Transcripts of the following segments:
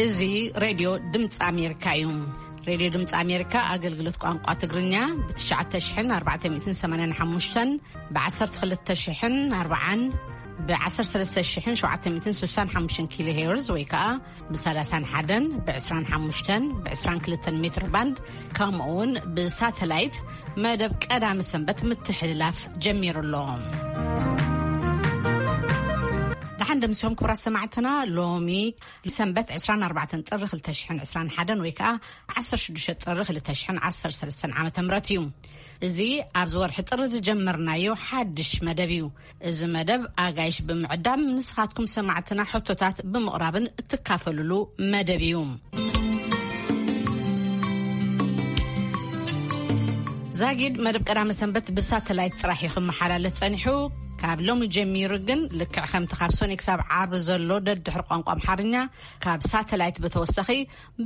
እዚ ሬድዮ ድምፂ ኣሜሪካ እዩ። ሬድዮ ድምፂ ኣሜሪካ ኣገልግሎት ቋንቋ ትግርኛ ብ ትሽዓተ ሽሕን ኣርባዕተ ሚእትን ሰማንያን ሓሙሽተን፣ ብ ዓሰርተ ክልተ ሽሕን ኣርባዓን፣ ብ ዓሰርተ ሰለስተ ሽሕን ሸውዓተ ሚእትን ስሳን ሓሙሽተን ኪሎ ሄርዝ ወይ ከዓ ብ ሰላሳን ሓደን፣ ብ ዕስራን ሓሙሽተን፣ ብ ዕስራን ክልተን ሜትር ባንድ፣ ከምኡ እውን ብሳተላይት መደብ ቀዳመ ሰንበት ምትሕልላፍ ጀሚሩ ኣሎ። ደሓን ደምሲሶም ክቡራት ሰማዕትና፣ ሎሚ ሰንበት ዕስራን ኣርባዕተን ጥሪ ክልተ ሽሕን ዕስራን ሓደን ወይ ከዓ ዓሰርተ ሽዱሽተ ጥሪ ክልተ ሽሕን ዓሰርተ ሰለስተን ዓመተ ምህረት እዩ። እዚ ኣብዚ ወርሒ ጥሪ ዝጀመርናዮ ሓድሽ መደብ እዩ። እዚ መደብ ኣጋይሽ ብምዕዳም ንስኻትኩም ሰማዕትና ሕቶታት ብምቕራብን እትካፈልሉ መደብ እዩ። ዛጊድ መደብ ቀዳመ ሰንበት ብሳተላይት ጥራሕ እዩ ክመሓላለፍ ጸኒሑ። ካብ ሎሚ ጀሚሩ ግን ልክዕ ከምቲ ካብ ሶኒ ክሳብ ዓርቢ ዘሎ ደድሕሪ ቋንቋ ኣምሓርኛ ካብ ሳተላይት ብተወሳኺ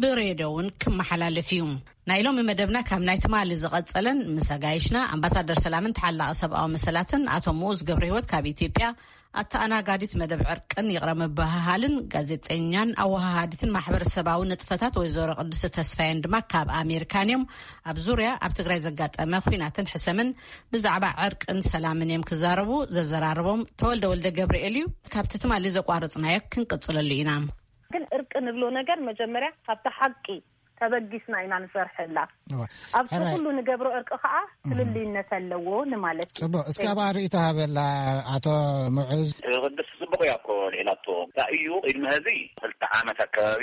ብሬድዮ እውን ክመሓላለፍ እዩ። ናይ ሎሚ መደብና ካብ ናይ ትማሊ ዝቐጸለን ምስ ኣጋይሽና ኣምባሳደር ሰላምን ተሓላቒ ሰብኣዊ መሰላትን ኣቶ ምኡዝ ገብረ ህይወት ካብ ኢትዮጵያ፣ ኣተኣናጋዲት መደብ ዕርቅን ይቕረ ምብህሃልን ጋዜጠኛን ኣወሃሃዲትን ማሕበረሰባዊ ንጥፈታት ወይዘሮ ቅድስቲ ተስፋየን ድማ ካብ ኣሜሪካን እዮም። ኣብ ዙርያ ኣብ ትግራይ ዘጋጠመ ኲናትን ሕሰምን ብዛዕባ ዕርቅን ሰላምን እዮም ክዛረቡ። ዘዘራርቦም ተወልደ ወልደ ገብርኤል እዩ። ካብቲ ትማሊ ዘቋረጽናዮ ክንቅጽለሉ ኢና። ግን እርቂ ንብሎ ነገር መጀመርያ ካብቲ ሓቂ ተበጊስና ኢና ንሰርሐላ። እዋ። ኣብዚ ሕራይ። ኩሉ ንገብሮ እርቂ ከዓ እም። ፍልልይነት ኣለዎ ንማለት እዩ። ጽቡቅ። እስኪ ኣብኣ ርእይቶ ሃበላ ኣቶ ምዑዝ። ቅድስቲ ጽቡቅ እያ እኮ ልዒላቶ። እንታይ እዩ ቅድሚ ሕዚ ክልተ ዓመት ኣከባቢ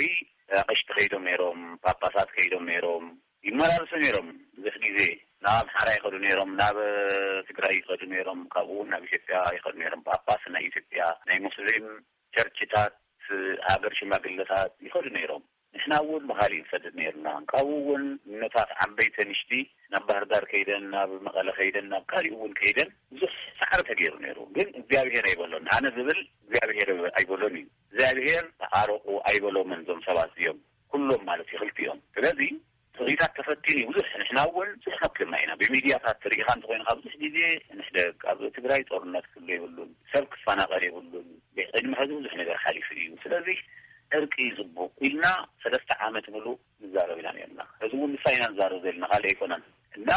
ኣቕሽቲ ከይዶም ነይሮም፣ ጳጳሳት ከይዶም ነይሮም፣ ይመላለሱ ነይሮም። ብዙሕ ግዜ ናብ ኣምሓራ ይኸዱ ነይሮም፣ ናብ ትግራይ ይኸዱ ነይሮም፣ ካብኡ እውን ናብ ኢትዮጵያ ይኸዱ ነይሮም። ጳጳስ ናይ ኢትዮጵያ ናይ ሙስሊም ቸርችታት፣ ሃገር ሽማግለታት ይኸዱ ነይሮም። ንሕና እውን ብኻሊእ ንሰድድ ነይርና። ካብኡ እውን እኖታት ዓበይቲ ንሽቲ ናብ ባህር ዳር ከይደን፣ ናብ መቐለ ከይደን፣ ናብ ካሊእ እውን ከይደን ብዙሕ ጻዕሪ ተገይሩ ነይሩ። ግን እግዚኣብሔር ኣይበሎን። ኣነ ዝብል እግዚኣብሔር ኣይበሎን እዩ። እግዚኣብሔር ተዓረቑ ኣይበሎምን እዞም ሰባት እዚኦም። ኩሎም ማለት እዩ፣ ክልቲኦም። ስለዚ ትርኢታት ተፈቲኑ እዩ ብዙሕ። ንሕና እውን ብዙሕ ፈኪርና ኢና። ብሚድያታት ትርኢኻ እንተኾይንካ ብዙሕ ግዜ ንሕደግ፣ ኣብ ትግራይ ጦርነት ክህሉ የብሉን፣ ሰብ ክፈናቐል የብሉን። ቅድሚ ሕዚ ብዙሕ ነገር ሓሊፉ እዩ። ስለዚ ዕርቂ እዩ ጽቡቕ ኢልና ሰለስተ ዓመት ምሉእ ንዛረብ ኢና ነርና። ሕዚ እውን ንሳ ኢና ንዛረብ ዘለና፣ ካልእ ኣይኮነን። እና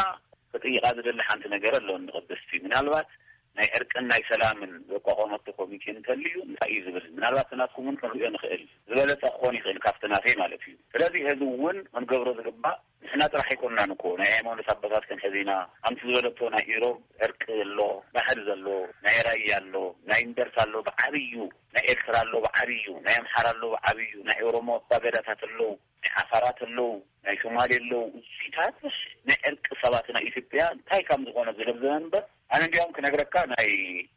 ክጥይቓ ዝደሊ ሓንቲ ነገር ኣለዎ ንቅድስቲ። ምናልባት ናይ ዕርቅን ናይ ሰላምን ዘቋቋመቶ ኮሚቴ እንተልዩ እንታይ እዩ ዝብል? ምናልባት ናትኩም እውን ክንሪኦ ንኽእል። ዝበለጸ ክኾን ይኽእል ካብቲ ናተይ ማለት እዩ። ስለዚ ሕዚ እውን ክንገብሮ ዝግባእ ንሕና ጥራሕ ኣይኮንናን እኮ፣ ናይ ሃይማኖት ኣቦታት ክንሕዝ ኢና። ከምቲ ዝበለቶ ናይ ኢሮብ ዕርቂ ኣሎ፣ ባህል ዘሎ፣ ናይ ራያ ኣሎ፣ ናይ እንደርታ ኣሎ፣ ብዓብዩ ናይ ኤርትራ ኣሎ፣ ብዓብዩ ናይ ኣምሓራ ኣሎ፣ ብዓብዩ ናይ ኦሮሞ ኣባገዳታት ኣለዉ፣ ናይ ዓፋራት ኣለዉ፣ ናይ ሶማሌ ኣለዉ። እዚታት ናይ ዕርቂ ሰባት ናይ ኢትዮጵያ እንታይ ከም ዝኾነ ዝለብዘበ እምበር፣ ኣነ እንዲያውም ክነግረካ ናይ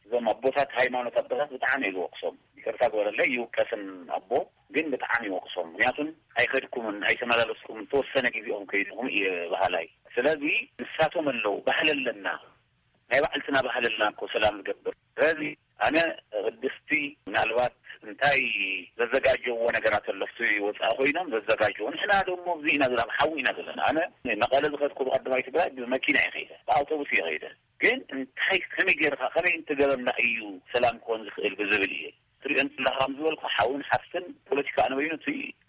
እዞም ኣቦታት ሃይማኖት ኣቦታት ብጣዕሚ እየ ዝወቅሶም። ይቅርታ ግበረለይ፣ ይውቀስን ኣቦ ግን ብጣዕሚ ይወቅሶም። ምክንያቱም ኣይኸድኩምን ኣይተመላለስኩምን፣ ተወሰነ ግዜኦም ከይድኹም እየ በሃላይ። ስለዚ ንሳቶም ኣለዉ፣ ባህሊ ኣለና፣ ናይ ባዕልትና ባህሊ ኣለና እኮ ሰላም ዝገብር። ስለዚ ኣነ ቅድስቲ ምናልባት እንታይ ዘዘጋጀዎ ነገራት ኣሎ፣ ኣብቲ ወፃኢ ኮይኖም ዘዘጋጀዎ። ንሕና ደሞ ኣብዚ ኢና ዘለና፣ ኣብ ሓዊ ኢና ዘለና። ኣነ መቐለ ዝኸድኩ ብቀዳማይ ትግራይ ብመኪና እየ ከይደ፣ ብኣውቶቡስ እየ ከይደ። ግን እንታይ፣ ከመይ ገይርካ፣ ከመይ እንትገበርና እዩ ሰላም ክኾን ዝኽእል ብዝብል እየ። ትሪኦ እንተለኻ፣ ከም ዝበልኩ፣ ሓውን ሓፍትን ፖለቲካ ኣነ በይኑ፣ እቲ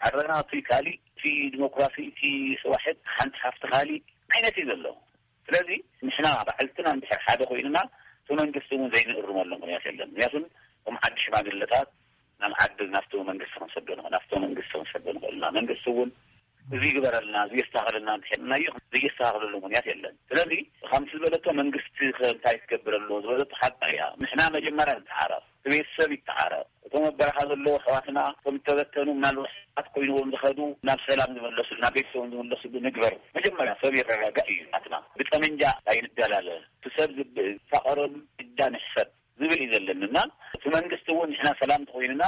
ዓረና፣ እቲ ካሊእ፣ እቲ ዲሞክራሲ፣ እቲ ስዋሕት ሓንቲ ሓፍቲ ካሊእ ዓይነት እዩ ዘሎ። ስለዚ ንሕና ባዕልትና እንድሕር ሓደ ኮይንና፣ እቲ መንግስቲ እውን ዘይንእርመሉ ምኽንያት የለን። ምክንያቱ እቶም ዓዲ ሽማግለታት ናብ ዓዲ፣ ናብቲ መንግስቲ ክንሰዶ ንኽእል፣ ናብቲ መንግስቲ ክንሰዶ ንኽእል ኢና። መንግስቲ እውን እዚ ይግበረልና፣ እዚ የስተኻኽለልና እንድሕር ኢልናዮ፣ ዘየስተኻኽለሉ ምኽንያት የለን። ስለዚ ከምቲ ዝበለቶ መንግስቲ ከ እንታይ ክገብር ኣለዎ ዝበለቶ ሓቂ እያ። ንሕና መጀመርያ ንተዓረቕ፣ እቲ ቤተሰብ ይተዓረቕ፣ እቶም ኣብ በረኻ ዘለዉ ኣሕዋትና፣ እቶም ዝተበተኑ፣ ምናልባት ሕማማት ኮይንዎም ዝኸዱ ናብ ሰላም ዝመለሱሉ፣ ናብ ቤተሰቦም ዝመለሱሉ ንግበር። መጀመርያ ሰብ ይረጋጋእ እዩ ናትና። ብጠመንጃ ኣይንደላለ። እቲ ሰብ ዝብ-፣ ዝፋቐረሉ ግዳ ንሕሰብ ዝብል እዩ ዘለኒ። እና እቲ መንግስቲ እውን ንሕና ሰላም እንተኾይንና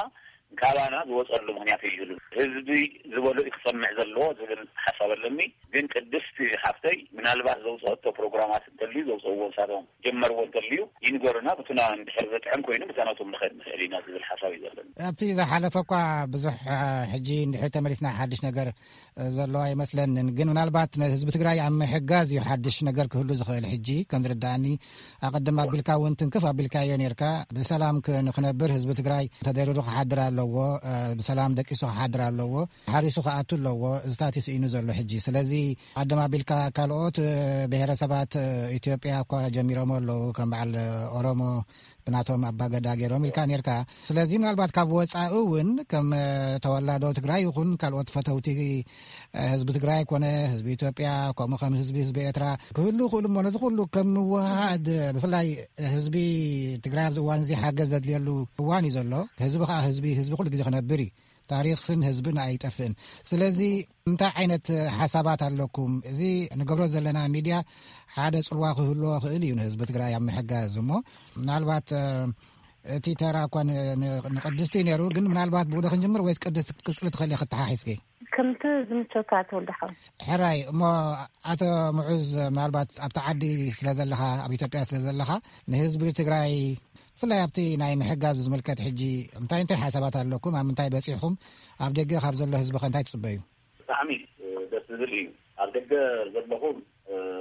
ካባና ዝወፀሉ ምኽንያት ኣይህሉን። ህዝቢ ዝበሎ እዩ ክሰምዕ ዘለዎ ዝብል ሓሳብ ኣለኒ። ግን ቅድስቲ ሓፍተይ ምናልባት ዘውፅኦቶ ፕሮግራማት እንተልዩ፣ ዘውፅእዎ ንሳቶም ጀመርዎ እንተልዩ ይንገሩና፣ ብቱና እንድሕር ዘጥዕም ኮይኑ ብታናቶም ንኸድ ንኽእል ኢና ዝብል ሓሳብ እዩ ዘለና። ኣብቲ ዝሓለፈ እኳ ብዙሕ ሕጂ እንድሕር ተመሊስና ሓድሽ ነገር ዘሎ ኣይመስለንን። ግን ምናልባት ንህዝቢ ትግራይ ኣብ ምሕጋዝ እዩ ሓድሽ ነገር ክህሉ ዝኽእል። ሕጂ ከም ዝርዳእኒ ኣቐድም ኣቢልካ እውን ትንክፍ ኣቢልካዮ ነርካ። ብሰላም ንክነብር ህዝቢ ትግራይ ተደሪሩ ክሓድር ኣለዎ። ብሰላም ደቂሱ ክሓድር ኣለዎ። ሓሪሱ ክኣቱ ኣለዎ። እዚታት ይስኢኑ ዘሎ ሕጂ። ስለዚ ኣቐድም ኣቢልካ ካልኦት ብሄረሰባት ኢትዮጵያ እኳ ጀሚሮም ኣለዉ፣ ከም በዓል ኦሮሞ ብናቶም ኣባገዳ ገይሮም ኢልካ ነርካ። ስለዚ ምናልባት ካብ ወፃኢ እውን ከም ተወላዶ ትግራይ ይኹን ካልኦት ፈተውቲ ህዝቢ ትግራይ ኮነ ህዝቢ ኢትዮጵያ፣ ከምኡ ከም ህዝቢ ህዝቢ ኤርትራ ክህሉ ይኽእሉ እሞ፣ ነዚ ኩሉ ከም ምውሃድ፣ ብፍላይ ህዝቢ ትግራይ ኣብዚ እዋን እዚ ሓገዝ ዘድልየሉ እዋን እዩ ዘሎ። ህዝቢ ከዓ ህዝቢ ህዝቢ ኩሉ ግዜ ክነብር እዩ። ታሪኽን ህዝብን ኣይጠፍእን። ስለዚ እንታይ ዓይነት ሓሳባት ኣለኩም? እዚ ንገብሮ ዘለና ሚድያ ሓደ ፅልዋ ክህልዎ ክእል እዩ ንህዝቢ ትግራይ ኣብ ምሕጋዝ። እሞ ምናልባት እቲ ተራ እኳ ንቅድስቲ ነይሩ፣ ግን ምናልባት ብኡ ክንጅምር ወይስ ቅድስቲ ክትቅፅሊ ትኽእሊ? ክተሓሒዝኪ ከምቲ ዝምቸካ ተወልደ ሓው። ሕራይ እሞ ኣቶ ምዑዝ፣ ምናልባት ኣብቲ ዓዲ ስለ ዘለኻ፣ ኣብ ኢትዮጵያ ስለ ዘለኻ፣ ንህዝቢ ትግራይ ብፍላይ ኣብቲ ናይ ምሕጋዝ ዝምልከት ሕጂ እንታይ እንታይ ሓሳባት ኣለኩም? ኣብ ምንታይ በፂሕኹም? ኣብ ደገ ካብ ዘሎ ህዝቢ ከ እንታይ ትፅበዩ? ብጣዕሚ ደስ ዝብል እዩ። ኣብ ደገ ዘለኹም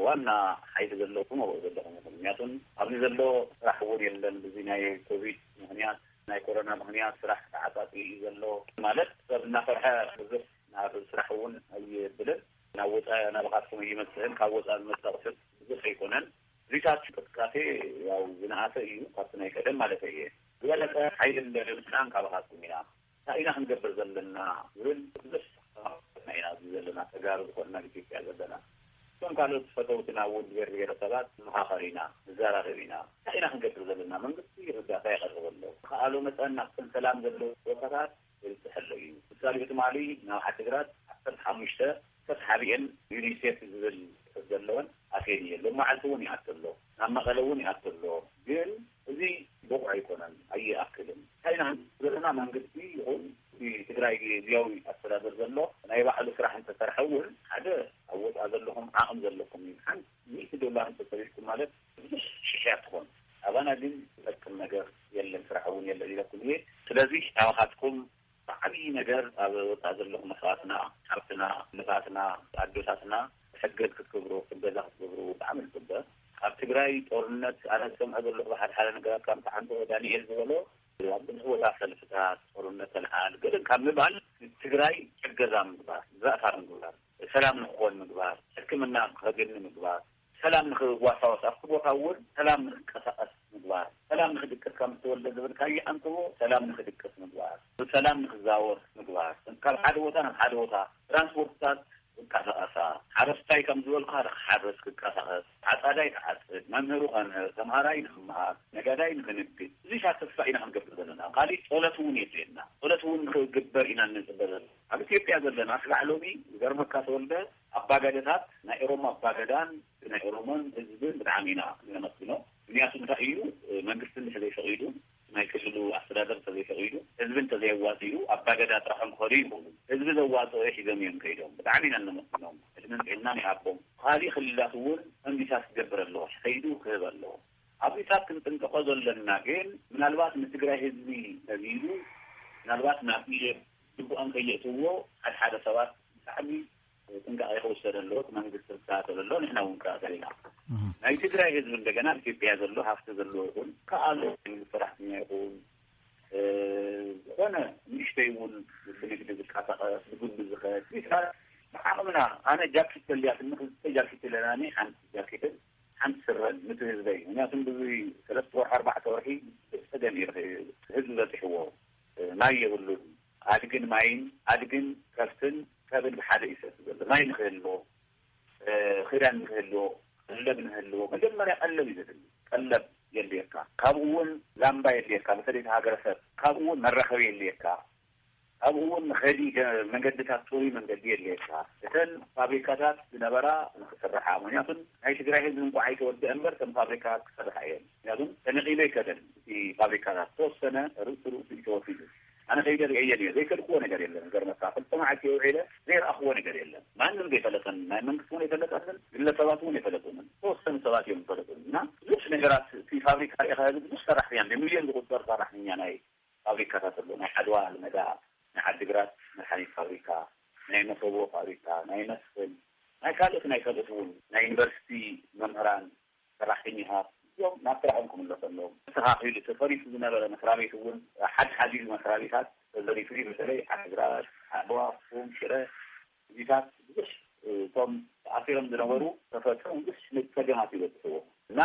ዋና ሓይሊ ዘለኩም ኣብኡ ዘለኹም ኢኹም። ምክንያቱም ኣብዚ ዘሎ ስራሕ እውን የለን። ብዚ ናይ ኮቪድ ምክንያት፣ ናይ ኮሮና ምክንያት ስራሕ ተዓፃፂ እዩ ዘሎ። ማለት ሰብ እናፈርሐ ብዙሕ ናብ ስራሕ እውን ኣይብልን። ናብ ወፃኢ ናባኻትኩም ኣይመፅእን። ካብ ወፃኢ ዝመፅእ ኣቑሑት ብዙሕ ኣይኮነን። እዚታት እንቅስቃሴ ያው ዝነኣሰ እዩ ካብቲ ናይ ቀደም ማለት እየ። ዝበለፀ ሓይልን ደለምፅናን ካባኻትኩም ኢና። እንታይ ኢና ክንገብር ዘለና ዝብል ብዙሕ ተማክሮና ኢና ኣብዚ ዘለና ተጋሩ ዝኾንና ኣብ ኢትዮጵያ ዘለና። እቶም ካልኦት ፈተውትና እውን ብሄር ብሄረሰባት ንመኻኸር ኢና፣ ንዘራረብ ኢና። እንታይ ኢና ክንገብር ዘለና? መንግስቲ እርዳታ የቕርብ ኣሎ። ከኣሎ መጠን ናብተን ሰላም ዘለዎ ቦታታት የብፅሐ ኣሎ እዩ። ምሳሌ ትማሊ ናብ ዓዲግራት ዓሰርተ ሓሙሽተ ተስሓቢአን ዩኒሴፍ ዝብል ዘለወን ኣትየን እየ። ሎም መዓልቲ እውን ይኣቱ ኣሎ፣ ናብ መቐለ እውን ይኣቱ ኣሎ። ግን እዚ ብቑዕ ኣይኮነን፣ ኣይኣክልን። እንታይ ኢና ዘለና? መንግስቲ ይኹን እቲ ትግራይ ግዝያዊ ኣስተዳደር ዘሎ ናይ ባዕሉ ስራሕ እንተሰርሐ እውን ሓደ ኣብ ወፃእ ዘለኹም ዓቕም ዘለኩም እዩ። ሓንቲ ሚእቲ ዶላር እንተሰሪሕኩም ማለት ብዙሕ ሽሕ እያ ትኾን። ኣባና ግን ዝጠቅም ነገር የለን፣ ስራሕ እውን የለን ኢለኩም እየ። ስለዚ ኣባኻትኩም ብዓብዪ ነገር ኣብ ወፃእ ዘለኹም ኣሕዋትና፣ ሓፍትና፣ ንፋትና፣ ኣዶታትና ሕገዝ ክትገብሩ፣ እገዛ ክትገብሩ ብጣዕሚ ንፅበ። ኣብ ትግራይ ጦርነት ኣነ ዝሰምዖ ዘለኹ ብሓደ ሓደ ነገራት ከምቲ ሓንቲ ዳንኤል ዝበሎ ኣብ ብዙሕ ቦታ ሰልፍታት ጦርነት ተልዓል ገለ ካብ ምባል ትግራይ ሕገዛ ምግባር፣ ዛእታ ምግባር፣ ሰላም ንክኾን ምግባር፣ ሕክምና ከግኒ ምግባር፣ ሰላም ንክዋሳወስ ኣብቲ ቦታ እውን ሰላም ንክንቀሳቀስ ምግባር፣ ሰላም ንክድቅስ ከም ዝተወልደ ዝብልካዮ ኣንትቦ ሰላም ንክድቅስ ምግባር፣ ብሰላም ንክዛወር ምግባር፣ ካብ ሓደ ቦታ ናብ ሓደ ቦታ ትራንስፖርትታት ዝንቀሳቀሳ፣ ሓረስታይ ከም ዝበልካ ንክሓርስ ክንቀሳቀስ፣ ዓፃዳይ ክዓፅድ፣ መምህሩ ከምህር፣ ተምሃራይ ንክመሃር፣ ነጋዳይ ንክንግድ፣ እዚታት ተስፋ ኢና ክንገብር ዘለና። ካሊእ ፀሎት እውን የድልየና። ፀሎት እውን ክግበር ኢና እንፅበ ዘለና። ኣብ ኢትዮጵያ ዘለና ክሳዕ ሎሚ ዝገርመካ ተወልደ ኣባገደታት ናይ ኦሮሞ ኣባገዳን ናይ ኦሮሞን ህዝብን ብጣዕሚ ኢና እነመስግኖ። ምክንያቱ እንታይ እዩ፣ መንግስቲ እንድሕር ዘይፈቒዱ፣ ናይ ክልሉ ኣስተዳደር እንተዘይፈቒዱ፣ ህዝቢ እንተዘየዋፂኡ ኣባገዳ ጥራሖም ክኸዱ ይኽእሉ። ህዝቢ ዘዋፅኦ ሒዞም እዮም ከይዶም። ብጣዕሚ ኢና እነመስግኖም። ዕድመን ጥዕናን ይሃቦም። ካሊእ ክልላት እውን ፈንዲታት ክገብር ኣለዎ፣ ከይዱ ክህብ ኣለዎ። ኣብዚታት ክንጥንቀቆ ዘለና ግን ምናልባት ንትግራይ ህዝቢ ተቢሉ ምናልባት ናብ ኢደ ግቡኦም ከየእትውዎ ሓደ ሓደ ሰባት ብጣዕሚ ጥንቃቄ ክውሰድ ኣለዎ። እቲ መንግስቲ ክከታተል ኣለዎ፣ ንሕና እውን ንከታተል ኢና። ናይ ትግራይ ህዝቢ እንደገና ኢትዮጵያ ዘሎ ሃፍቲ ዘለዎ ይኹን ከኣሎ መንግስቲ ሰራሕተኛ ይኹን ዝኾነ ንእሽተይ እውን ብንግዲ ዝንቀሳቐስ ብግሉ ዝኸድ ቢታት ብዓቕምና ኣነ ጃኬት ተልያትኒ ክልተ ጃኬት ኣለናኒ ሓንቲ ጃኬትን ሓንቲ ስረን ንቲ ህዝበይ ምክንያቱም ብዙ ሰለስተ ወርሒ ኣርባዕተ ወርሒ ብፀገም እዩ ህዝቢ በፂሕዎ። ማይ የብሉን። ኣድግን ማይን ኣድግን ከብትን ከብን ብሓደ ይሰቲ ዘሎ ማይ ንክህልዎ ክዳን ንክህልዎ ቀለብ ንህልዎ መጀመርያ ቀለብ እዩ ዘድሊ። ቀለብ የድልየካ። ካብኡ እውን ላምባ የድልየካ። በተለይ እቲ ሃገረሰብ ካብኡ እውን መራኸቢ የድልየካ። ካብኡ እውን ንኸዲ መንገድታት ፅሩይ መንገዲ የድልየካ። እተን ፋብሪካታት ዝነበራ ንክስርሓ ምክንያቱም ናይ ትግራይ ህዝቢ እንኳዕ ኣይተወደአ እምበር እተን ፋብሪካታት ክሰርሓ እየን። ምክንያቱም ተነቂሉ ኣይከደን እቲ ፋብሪካታት ተወሰነ ርእሱ ርእሱ እዩ ተወሲዱ። ኣነ ከይደ ርእየን እየ። ዘይፈልጥዎ ነገር የለን። ገርመካ፣ ክልተ መዓልቲ ውዒለ ዘይረኣኽዎ ነገር የለን። ማንም ዘይፈለጠን፣ ናይ መንግስቲ እውን ኣይፈለጠንን፣ ግለሰባት እውን ኣይፈለጡንን። ተወሰኑ ሰባት እዮም ዝፈለጡን። እና ብዙሕ ነገራት፣ እቲ ፋብሪካ ርኢኻ፣ ብዙሕ ሰራሕተኛ፣ ብሚልዮን ዝቁጸር ሰራሕተኛ ናይ ፋብሪካታት ኣሎ። ናይ ዓድዋ ኣልመዳ፣ ናይ ዓዲግራት መድሓኒት ፋብሪካ፣ ናይ መሰቦ ፋብሪካ፣ ናይ መስፍን፣ ናይ ካልኦት፣ ናይ ካልኦት እውን፣ ናይ ዩኒቨርሲቲ መምህራን፣ ሰራሕተኛታት እዮም ናብ ስራሖም ክምለሱ ኣለዎም። ተስተኻኺሉ ተፈሪሱ ዝነበረ መስሪያ ቤት እውን ሓድሓዲኡ መስሪያ ቤታት ተዘሪፉ እዩ። በተለይ ዓዲግራት፣ ዓድዋ፣ ኣኽሱም፣ ሽረ፣ እዚታት ብዙሕ፣ እቶም ተኣሲሮም ዝነበሩ ተፈትሑ ብዙሕ ጸገማት ይበፅሕዎ እና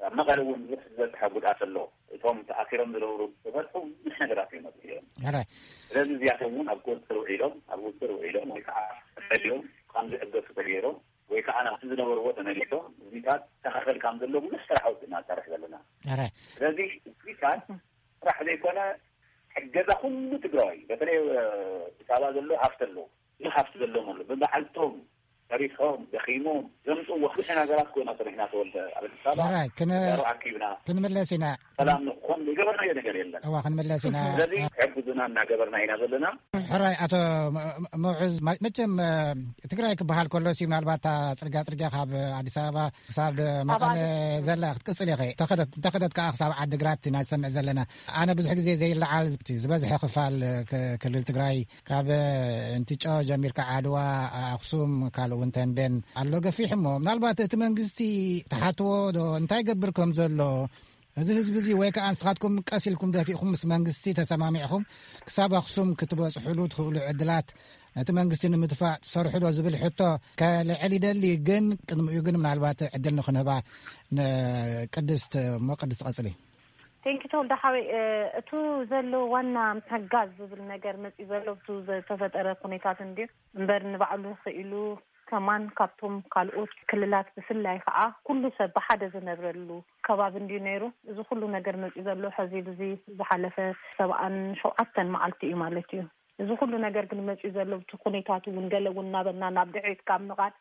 ኣብ መቐለ እውን ብዙሕ ዝበፅሐ ጉድኣት ኣሎ። እቶም ተኣሲሮም ዝነበሩ ተፈትሑ ብዙሕ ነገራት ይመፅኡ እዮም። ሕራይ። ስለዚ እዚኣቶም እውን ኣብ ቁፅፅር ውዒሎም፣ ኣብ ቁፅፅር ውዒሎም ወይ ከዓ ተፈልዮም ከም ዝዕገሱ ተገይሮም ወይ ከዓ ናብቲ ዝነበርዎ ተመሊሶም እዚታት ተኸኸል ከም ዘሎ ብዙሕ ስራሕ ወፅእና ንሰርሕ ዘለና። ሕራይ። ስለዚ እዚታት ስራሕ ዘይኮነ፣ ሕገዛ ኩሉ ትግራዋይ፣ በተለይ፣ እ፣ ኣዲስ ኣበባ ዘሎ ሃፍቲ ኣሎ። ብዙሕ ሃፍቲ ዘለዎም ኣሎ። ብበዓልቶም ሰሪሖም፣ ደኺሞም፣ ዘምፅእዎ ብዙሕ ነገራት ኮይና ሰሪሕና ተወልደ ኣብ ኣዲስ ኣበባ። ሕራይ፣ ክነ-፣ ተጋሩ ኣኪብና፣ ክንምለስ ኢና። ሰላም ንኾን ዝገበርናዮ ነገር የለን። እዋ፣ ክንምለስ ኢና። ስለዚ ሕግዙና እናገበርና ኢና ዘለና። ሕራይ፣ ኣቶ ም-፣ ም-፣ ምዑዝ፣ መ-፣ መቸም፣ እ፣ ትግራይ ክበሃል ከሎ ሲ ምናልባት እታ ፅርግያ ፅርግያ ካብ ኣዲስ ኣበባ ክሳብ መቐለ ኣባል ዘላ ክትቅፅል ኢኸ። ተኸደት፣ እንተኸደት ከዓ ክሳብ ዓዲግራት ኢና ዝሰምዕ ዘለና። ኣነ ብዙሕ ግዜ ዘይለዓል እቲ ዝበዝሐ ክፋል ክ-፣ ክልል ትግራይ ካብ እንትጮ ጀሚርካ ዓድዋ፣ ኣኽሱም፣ ካልእ እውን ተንቤን ኣሎ ገፊሕ። እሞ ምናልባት እቲ መንግስቲ ተሓትዎ ዶ እንታይ ገብር ከም ዘሎ፣ እዚ ህዝቢ እዚ ወይ ከዓ ንስኻትኩም ቀስ ኢልኩም ደፊእኩም ምስ መንግስቲ ተሰማሚዕኩም ክሳብ ኣኽሱም ክትበፅሕሉ ትኽእሉ ዕድላት ነቲ መንግስቲ ንምጥፋእ ትሰርሑ ዶ ዝብል ሕቶ ከልዕል ይደሊ። ግን ቅድሚኡ ግን ምናልባት ዕድል ንክንህባ ንቅድስት እሞ ቅድስት ቀፅሊ። ቴንኪ ተወልደ ሓወይ፣ እ፣ እቱ ዘሎ ዋና ምሕጋዝ ዝብል ነገር መፂኡ ዘሎ እቱ ዝተፈጠረ ኩነታት እንድዩ እምበር ንባዕሉ ክኢሉ ከማን ካብቶም ካልኦት ክልላት ብፍላይ ከዓ ኩሉ ሰብ ብሓደ ዝነብረሉ ከባቢ እንድዩ ነይሩ። እዚ ኩሉ ነገር መፂኡ ዘሎ ሕዚ ብዚ ዝሓለፈ ሰብዓን ሸውዓተን መዓልቲ እዩ ማለት እዩ። እዚ ኩሉ ነገር ግን መፂኡ ዘሎ እቲ ኩነታት እውን ገለ እውን እናበልና ናብ ድሕሪት ካብ ምቓድ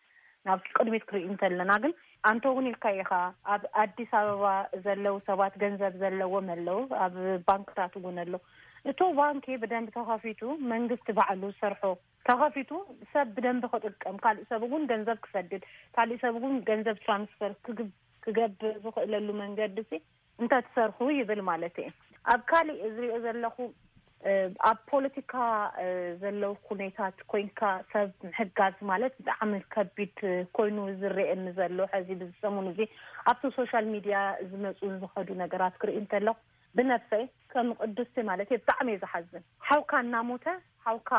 ናብ ቅድሚት ክርኢ እንተለና ግን ኣንተ እውን ኢልካ ኢኻ፣ ኣብ ኣዲስ ኣበባ ዘለዉ ሰባት ገንዘብ ዘለዎም ኣለዉ፣ ኣብ ባንክታት እውን ኣሎ። እቶ ባንኪ ብደንብ ተኸፊቱ መንግስቲ ባዕሉ ዝሰርሖ ተኸፊቱ ሰብ ብደንብ ክጥቀም፣ ካልእ ሰብ እውን ገንዘብ ክሰድድ፣ ካልእ ሰብ እውን ገንዘብ ትራንስፈር ክግብ-፣ ክገብር ዝኽእለሉ መንገዲ ሲ እንተትሰርሑ ይብል ማለት እየ። ኣብ ካልእ ዝሪኦ ዘለኹ፣ እ፣ ኣብ ፖለቲካ፣ እ፣ ዘለዉ ኩነታት ኮይንካ ሰብ ምሕጋዝ ማለት ብጣዕሚ ከቢድ ኮይኑ ዝረኤኒ ዘሎ ሕዚ ብዚ ሰሙን እዚ ኣብቲ ሶሻል ሚድያ ዝመፁ ዝኸዱ ነገራት ክርኢ እንተለኹ ብነብሰይ ከም ቅድስቲ ማለት እየ ብጣዕሚ እየ ዝሓዝን። ሓውካ እናሞተ፣ ሓውካ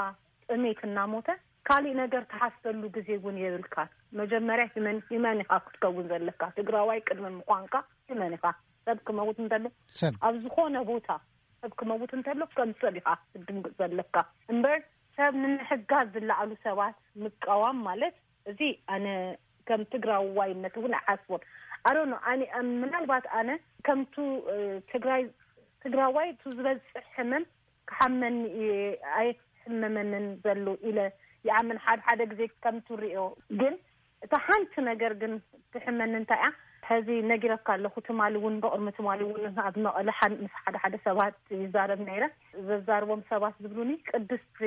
ጥሜት እናሞተ ካሊእ ነገር ትሓስበሉ ግዜ እውን የብልካ። መጀመርያ ሂመን፣ ሂመን ኢኻ ክትከውን ዘለካ። ትግራዋይ ቅድሚ ምዃንካ ሂመን ኢኻ። ሰብ ክመውት እንተሎ ሰብ ኣብ ዝኾነ ቦታ ሰብ ክመውት እንተሎ ከም ሰብ ኢኻ ክትድንግፅ ዘለካ እምበር ሰብ ንምሕጋዝ ዝለዓሉ ሰባት ምቃዋም ማለት እዚ ኣነ ከም ትግራዋይነት እውን ኣይሓስቦን። ኣሮኖ ኣነ ምናልባት ኣነ ከምቱ፣ እ፣ ትግራይ ትግራዋይ እቱ ዝበፅሕ ሕመም ክሓመኒ እየ ኣይሕመመንን ዘሎ ኢለ ይኣምን። ሓደ ሓደ ግዜ ከም ትሪኦ ግን እታ ሓንቲ ነገር ግን ትሕመኒ እንታይ እያ? ሕዚ ነጊረካ ኣለኹ፣ ትማሊ እውን ብቕድሚ ትማሊ እውን ኣብ መቐለ ሓን-፣ ምስ ሓደ ሓደ ሰባት ይዛረብ ነይረ። ዘዛርቦም ሰባት ዝብሉኒ ቅድስቲ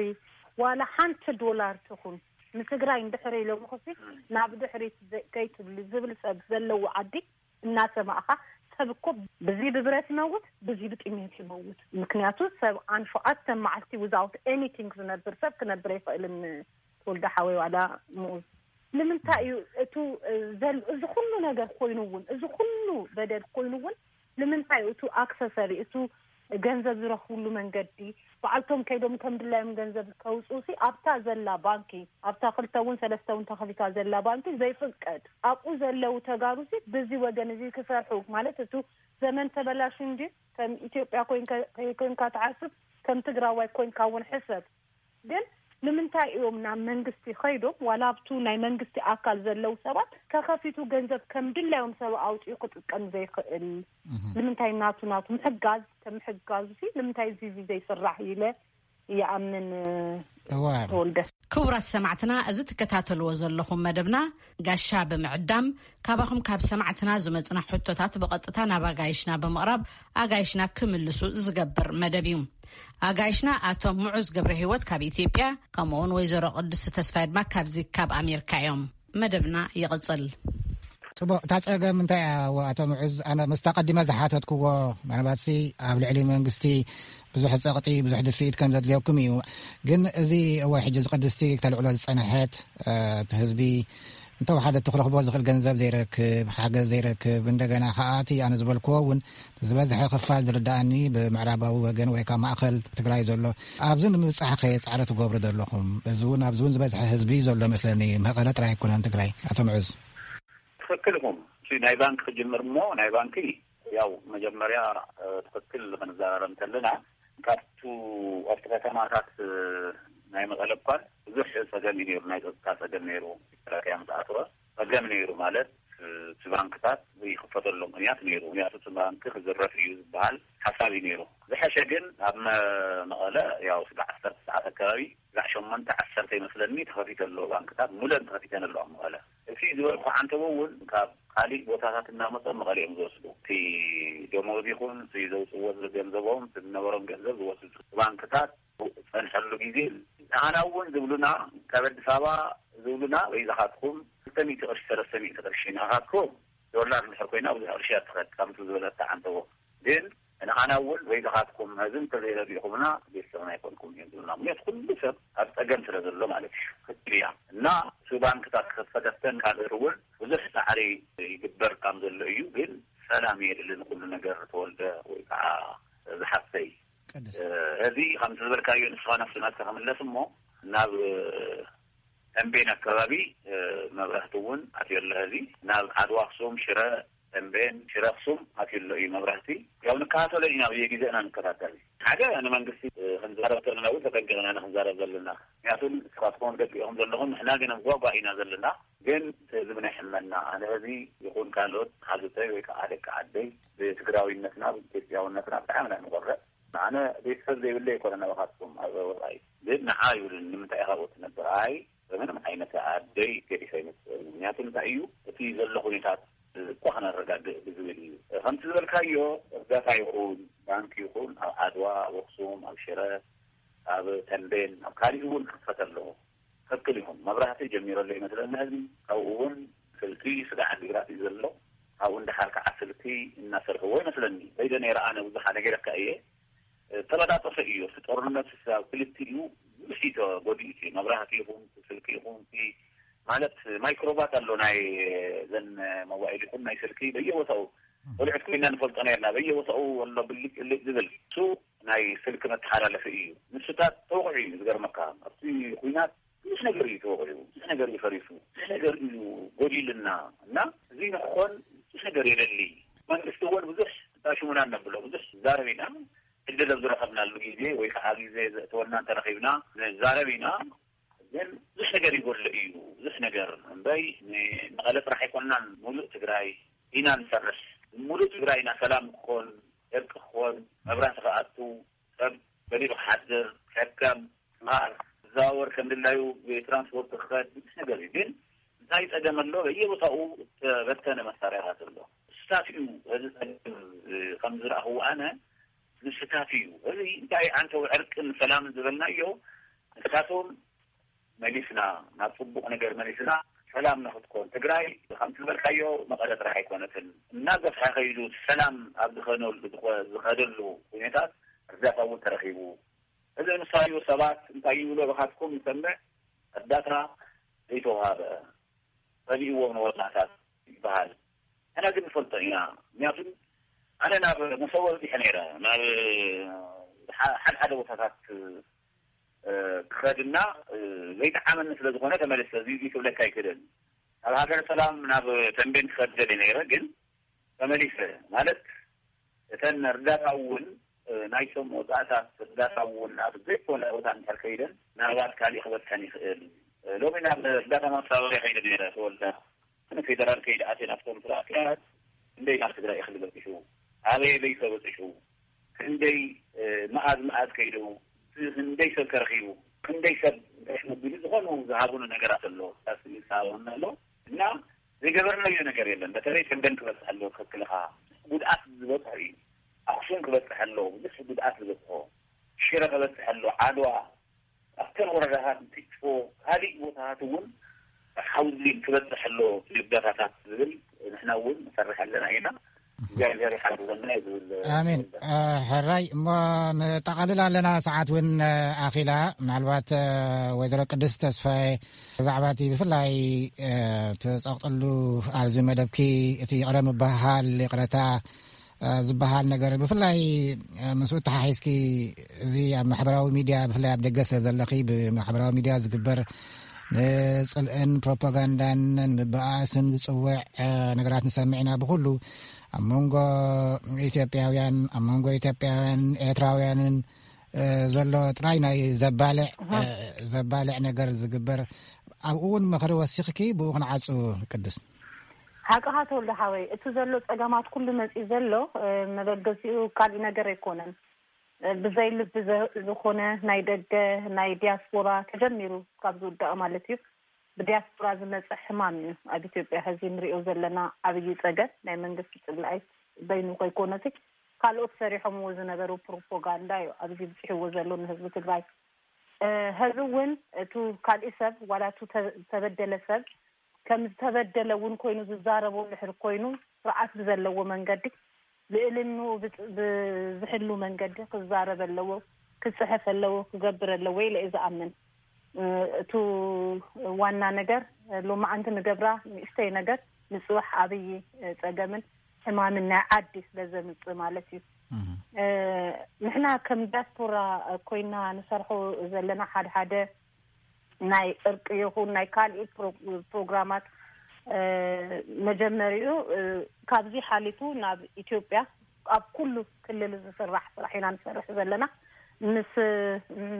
ዋላ ሓንቲ ዶላር ትኹን ንትግራይ እንድሕር ኢሎም ክሲ ናብ ድሕሪት ዘ-፣ ከይትብሊ ዝብል ሰብ ዘለዎ ዓዲ እናሰማእኻ ሰብ እኮ ብዚ ብብረት ይመውት፣ ብዚ ብጥሜት ይመውት። ምክንያቱ ሰብ ኣን ሸውዓተ መዓልቲ without anything ዝነብር ሰብ ክነብር ኣይኽእልን። ተወልደ ሓወይ ዋላ ምኡዝ ንምንታይ እዩ እቱ፣ እ፣ ዘል-፣ እዚ ኩሉ ነገር ኮይኑ እውን፣ እዚ ኩሉ በደል ኮይኑ እውን ንምንታይ እቱ ኣክሰሰሪ፣ እቱ ገንዘብ ዝረኽብሉ መንገዲ፣ በዓልቶም ከይዶም ከም ድላዮም ገንዘብ ከውፅኡ ሲ ኣብታ ዘላ ባንኪ፣ ኣብታ ክልተ እውን ሰለስተ እውን ተኸፊታ ዘላ ባንኪ ዘይፍቀድ? ኣብኡ ዘለዉ ተጋሩ ሲ ብዚ ወገን እዚ ክሰርሑ ማለት እቱ ዘመን ተበላሹ እንጂ ከም ኢትዮጵያ ኮይንካ፣ ኮይንካ ትሓስብ ከም ትግራዋይ ኮይንካ እውን ሕሰብ። ግን ንምንታይ እዮም ናብ መንግስቲ ከይዶም ዋላ ኣብቱ ናይ መንግስቲ ኣካል ዘለዉ ሰባት ተኸፊቱ ገንዘብ ከም ድላዮም ሰብ ኣውፂኡ ክጥቀም ዘይኽእል? እህ። ንምንታይ ናቱ ናቱ ምሕጋዝ ከም ምሕጋዙ ሲ ንምንታይ እዚ እዚ ዘይስራሕ ኢለ ይኣምን። እዋ። ተወልደ። ክቡራት ሰማዕትና፣ እዚ ትከታተልዎ ዘለኹም መደብና ጋሻ ብምዕዳም ካባኹም ካብ ሰማዕትና ዝመጹና ሕቶታት ብቐጥታ ናብ ኣጋይሽና ብምቕራብ ኣጋይሽና ክምልሱ ዝገብር መደብ እዩ። ኣጋይሽና ኣቶ ምዑዝ ገብረ ህይወት ካብ ኢትዮጵያ፣ ከምኡውን ወይዘሮ ቅድስቲ ተስፋይ ድማ ካብዚ ካብ ኣሜሪካ እዮም። መደብና ይቕጽል። ጽቡቕ፣ እታ ጸገም እንታይ እያ? ኣቶ ምዑዝ፣ ኣነ ምስታ ቀዲመ ዝሓተትክዎ፣ ምናልባትሲ ኣብ ልዕሊ መንግስቲ ብዙሕ ጸቕጢ፣ ብዙሕ ድፍኢት ከም ዘድልየኩም እዩ። ግን እዚ እወ፣ ሕጂ እዚ ቅድስቲ ክተልዕሎ ዝጸንሐት፣ እ፣ እቲ ህዝቢ እንተወሓደ እቲ ክረኽቦ ዝኽእል ገንዘብ ዘይረክብ፣ ሓገዝ ዘይረክብ፣ እንደገና ከኣ እቲ ኣነ ዝበልክዎ እውን ዝበዝሐ ክፋል ዝርዳኣኒ ብምዕራባዊ ወገን ወይ ካብ ማእኸል ትግራይ ዘሎ፣ ኣብዚ ንምብጻሕ ከ ጻዕሪ ትገብሩ ዘለኹም? እዚ እውን ኣብዚ እውን ዝበዝሐ ህዝቢ ዘሎ መስለኒ፣ መቐለ ጥራይ ኣይኮነን ትግራይ። ኣቶ ምዑዝ። ትኽክል ኢኹም። እቲ ናይ ባንክ ክጅምር እሞ፣ ናይ ባንኪ ያው መጀመርያ፣ እ፣ ትኽክል ክንዘራረብ እንተለና፣ ካብቱ ኣብቲ ከተማታት፣ እ፣ ናይ መቐለ እኳን ብዙሕ ጸገም እዩ ነይሩ፣ ናይ ጸጥታ ጸገም ነይሩ። መከላከያ ምስ ኣተወ ጸገም ነይሩ ማለት፣ እ፣ እቲ ባንክታት ዘይክፈተሉ ምኽንያት ነይሩ። ምኽንያቱ እቲ ባንኪ ክዝረፍ እዩ ዝበሃል ሓሳብ እዩ ነይሩ። ዝሐሸ ግን ኣብ መ-፣ መቐለ ያው ስጋዕ ዓሰርተ ሰዓት ኣከባቢ፣ ስጋዕ ሸሞንተ ዓሰርተ ይመስለኒ ተኸፊተ ኣሎ ባንክታት፣ ሙለን ተኸፊተን ኣለዋ መቐለ። እቲ ዝበልኩ ዓንተቦ እውን ካብ ካሊእ ቦታታት እናመፁ ኣብ መቐለ እዮም ዝወስዱ። እቲ ደሞዝ ይኹን እቲ ዘውፅዎ ገንዘቦም፣ እቲ ዝነበሮም ገንዘብ ዝወስዱ ባንክታት ዝፀንሐሉ ግዜ፣ ንዓና እውን ዝብሉና፣ ካብ ኣዲስ ኣበባ ዝብሉና፣ በይዛኻትኩም ክልተ ሚእቲ ቅርሺ፣ ሰለስተ ሚእቲ ቅርሺ፣ ንዓኻትኩም ዶላር እንድሕር ኮይና ብዙሕ ቅርሺ እያ ትኸድ፣ ከምቲ ዝበለታ ዓንተቦ። ግን ንዓና እውን በይዛኻትኩም ነዚ እንተዘይረዲእኹምና ቤተሰብና ኣይኮንኩም እዮም ዝብሉና። ምክንያቱ ኩሉ ሰብ ኣብ ጸገም ስለ ዘሎ ማለት እዩ። ትክክል እያ። እና እቲ ባንክታት ክኸፈተተን ካልኦት እውን ብዙሕ ጻዕሪ ይግበር ከም ዘሎ እዩ። ግን ሰላም የድሊ ንኩሉ ነገር፣ ተወልደ ወይ ከዓ ዝሓፍተይ። ቅድስቲ። እ፣ እዚ ከምቲ ዝበልካዮ ንስኻ ናብቲ ናትካ ክምለስ እሞ፣ ናብ ተምቤን ኣከባቢ፣ እ፣ መብራህቲ እውን ኣትዮ ኣሎ። እዚ ናብ ዓድዋ ኣክሱም፣ ሽረ፣ ተምቤን፣ ሽረ ኣክሱም ኣትዮ ኣሎ እዩ መብራህቲ። ያው ንከታተሎ ኢና፣ በየግዜና ንከታተል። ሓደ ንመንግስቲ፣ እ፣ ክንዛረብ ከለና እውን ተጠንቂቕና ኢና ክንዛረብ ዘለና። ምክንያቱ ንስኻትኩም ደቂኹም ዘለኹም፣ ንሕና ግን ኣብ ጓጓ ኢና ዘለና። ግን እዚ ብናይ ሕመና፣ ኣነ እዚ ይኹን ካልኦት ሓዝተይ ወይ ከዓ ደቂ ዓደይ ብትግራዊነትና፣ ብኢትዮጵያውነትና ብጣዕሚ ኢና ንኾርዕ። ኣነ ቤተሰብ ዘይብለይ ኣይኮነን ናባኻትኩም ኣብ ወፃኢ። ግን ንዓ ይብሉኒ፣ ንምንታይ ኢኻ ኣብኡ ትነብር? ኣይ፣ በምንም ዓይነት ኣደይ ገዲፈ ኣይመፅእን። ምክንያቱ እንታይ እዩ፣ እቲ ዘሎ ኩነታት እኳ ክነረጋግእ ብዝብል እዩ። ከምቲ ዝበልካዮ፣ እርዳታ ይኹን፣ ባንክ ይኹን፣ ኣብ ዓድዋ፣ ኣብ ኣኽሱም፣ ኣብ ሽረ፣ ኣብ ተምቤን፣ ኣብ ካሊእ እውን ክኽፈት ኣለዎ። ትኽክል ኢኹም። መብራህቲ ጀሚሩ ኣሎ ይመስለኒ ህዝቢ። ካብኡ እውን ስልኪ ስጋዕ ዓዲግራት እዩ ዘሎ። ካብኡ እንዳሓር ከዓ ስልኪ እናሰርሕዎ ይመስለኒ። ከይደ ነይረ ኣነ፣ ብዙሕ ኣነ ገይረካ እየ። ተበጣጠሰ እዩ። እቲ ጦርነት ኣብ ክልቲኡ ብዙሕ እዩ ተጎዲኡ። እቲ መብራህቲ ይኹን፣ እቲ ስልኪ ይኹን፣ እቲ ማለት ማይክሮባት ኣሎ ናይ ዘን ሞባይል ይኹን ናይ ስልኪ በየቦታኡ። ቆልዑት ኮይና ንፈልጦ ነርና። በየቦታኡ ኣሎ ብልጭ ብልጭ ዝብል። እሱ ናይ ስልኪ መተሓላለፊ እዩ። ንሱታት ተወቂዑ እዩ ዝገርመካ። ኣብቲ ኲናት ብዙሕ ነገር እዩ ተወቂዑ። ብዙሕ ነገር እዩ ፈሪሱ። ብዙሕ ነገር እዩ ጎዲልና። እና እዚ ንክኾን ብዙሕ ነገር የደሊ። መንግስቲ እውን ብዙሕ ታሽሙና ነብሎ። ብዙሕ ዛረብ ኢና። ዕድል ኣብ ዝረኸብናሉ ግዜ ወይ ከዓ ግዜ ዘእተወና እንተረኺብና ንዛረብ ኢና። ግን ብዙሕ ነገር ይጎድሎ እዩ። ብዙሕ ነገር እምበይ ን-፣ መቐለ ጥራሕ ኣይኮንናን፣ ሙሉእ ትግራይ ኢና ንሰርሕ። ሙሉእ ትግራይ ኢና ሰላም ክኾን፣ ዕርቂ ክኾን፣ መብራህቲ ክኣቱ፣ ሰብ በሊዑ ክሓድር፣ ሕከም፣ ክመሃር፣ ክዘዋወር ከም ድላዩ ብትራንስፖርት ክኸድ፣ ብዙሕ ነገር እዩ። ግን እንታይ ጸገም ኣሎ? በየቦታኡ እተበተነ መሳርያታት ኣሎ። ንስታት እዩ እዚ ጸገም፣ እ፣ ከም ዝረኣኽዎ ኣነ፣ ንስታት እዩ። እዚ እንታይ ዓንተው ዕርቅን ሰላምን ዝበልናዮ፣ ንሳቶም መሊስና፣ ናብ ጽቡቕ ነገር መሊስና፣ ሰላም ንኽትኮን። ትግራይ ከምቲ ዝበልካዮ መቐለ ጥራሕ ኣይኮነትን። እናገፍሐ ከይዱ ሰላም ኣብ ዝኾነሉ፣ ዝኾ-፣ ዝኸደሉ ሁኔታት እርዳታ እውን ተረኺቡ። እዚ ንሳዩ ሰባት እንታይ ይብሎ፣ ብኻትኩም ንሰምዕ፣ እርዳታ ዘይተዋሃበ፣ ጸሊእዎም ንወላታት ይበሃል። ንሕና ግን ንፈልጦ ኢና። ምክንያቱ ኣነ ናብ መሰቦ በጺሐ ነይረ። ናብ ሓ-፣ ሓደ ሓደ ቦታታት፣ እ፣ ክኸድና፣ እ፣ ዘይጠዓመኒ ስለ ዝኾነ ተመሊሰ። እዚ፣ እዚ ክብለካ ኣይክእልን። ናብ ሃገረ ሰላም፣ ናብ ተንቤን ክኸድ ደልየ ነይረ፣ ግን ተመሊሰ። ማለት እተን እርዳታ እውን፣ እ፣ ናይቶም መውጻእታት እርዳታ እውን ኣብ ዘይኮነ ቦታ እንድሕር ከይደን፣ ምናልባት ካሊእ ክበጽሐን ይኽእል። እ፣ ሎሚ ናብ እርዳታ ማስተባበርያ ከይደ ነይረ፣ ተወልደ። ንፌደራል ከይደ ኣትየ ናብቶም ስርዓት ክንደይ ናብ ትግራይ እኽሊ በጺሑ፣ ኣበየበይ ከ በጺሑ፣ ክንደይ፣ እ፣ መኣዝ መኣዝ ከይዱ፣ ክንደይ ሰብ ከረኺቡ፣ ክንደይ ሰብ እንታይ መቢሉ፣ ዝኾኑ ዝሃቡኒ ነገራት ኣሎ። ካብ ስእሊ ዝሃቡኒ ኣሎ። እና ዘይገበርናዮ ነገር የለን። በተለይ ተንቤን ክበጽሕ ኣለዎ፣ ትኽክል ኢኻ። ጉድኣት ዝበጽሖ እዩ። ኣኽሱም ክበጽሕ ኣለዎ፣ ብዙሕ ጉድኣት ዝበጽሖ። ሽረ ክበፅሕ ኣሎ፣ ዓድዋ፣ ኣብተን ወረዳታት እንትጭፎ፣ ካልእ ቦታታት እውን ሓውዚ ክበፅሕ ኣሎ፣ ልደታታት ዝብል ንሕና እውን ንሰርሕ ኣለና ኢና። እግዚኣብሔር ይሓግዘና እዩ ዝብል። ኣሜን። ሕራይ እሞ፣ ንጠቓልል ኣለና፣ ሰዓት እውን ኣኺላ። ምናልባት ወይዘሮ ቅድስት ተስፋዬ፣ ብዛዕባ እቲ ብፍላይ ትፀቕጥሉ ኣብዚ መደብኪ እቲ ይቕረ ምባሃል፣ ይቕረታ ዝበሃል ነገር፣ ብፍላይ ምስኡ ተሓሒዝኪ፣ እዚ ኣብ ማሕበራዊ ሚድያ፣ ብፍላይ ኣብ ደገ ስለ ዘለኺ፣ ብማሕበራዊ ሚድያ ዝግበር ንፅልእን ፕሮፓጋንዳን ንብኣስን ዝፅውዕ ነገራት ንሰምዕ ኢና። ብኩሉ ኣብ መንጎ ኢትዮጵያውያን፣ ኣብ መንጎ ኢትዮጵያውያን ኤርትራውያንን ዘሎ ጥራይ ናይ ዘባልዕ ዘባልዕ ነገር ዝግበር፣ ኣብኡ እውን ምኽሪ ወሲኽኪ ብኡ ክንዓፁ። ቅድስት። ሓቅኻ ተወልደ ሓወይ፣ እቲ ዘሎ ፀገማት ኩሉ መፂኡ ዘሎ መበገሲኡ ካልእ ነገር ኣይኮነን። ብዘይ ልቢ ዝኾነ ናይ ደገ፣ ናይ ዲያስፖራ ተጀሚሩ ካብ ዝውዳእ ማለት እዩ፣ ብዲያስፖራ ዝመፀ ሕማም እዩ። ኣብ ኢትዮጵያ ሕዚ ንሪኦ ዘለና ዓብዪ ፀገም ናይ መንግስቲ ፅላኢ በይኑ ከይኮነሲ፣ ካልኦት ሰሪሖምዎ ዝነበሩ ፕሮፓጋንዳ እዩ ኣብዚ ብፅሕዎ ዘሎ ንህዝቢ ትግራይ። ሕዚ እውን እቱ ካልእ ሰብ ዋላ እቱ ተበደለ ሰብ ከም ዝተበደለ እውን ኮይኑ ዝዛረቦ ድሕር ኮይኑ፣ ስርዓት ብዘለዎ መንገዲ፣ ልእልንኡ ብዝሕሉ መንገዲ ክዛረብ ኣለዎ፣ ክፅሕፍ ኣለዎ፣ ክገብር ኣለዎ ኢለ እየ ዝኣምን። እቱ ዋና ነገር ሎማዓንቲ ንገብራ ንእሽተይ ነገር ንፅባሕ ኣብይ ፀገምን ሕማምን ናይ ዓዲ ስለ ዘምፅእ ማለት እዩ። ንሕና ከም ዲያስፖራ ኮይና ንሰርሖ ዘለና ሓደ ሓደ ናይ እርቂ ይኹን ናይ ካልእ ፕሮግራማት መጀመሪኡ ካብዚ ሓሊፉ ናብ ኢትዮጵያ ኣብ ኩሉ ክልል ዝስራሕ ስራሕ ኢና ንሰርሕ ዘለና። ምስ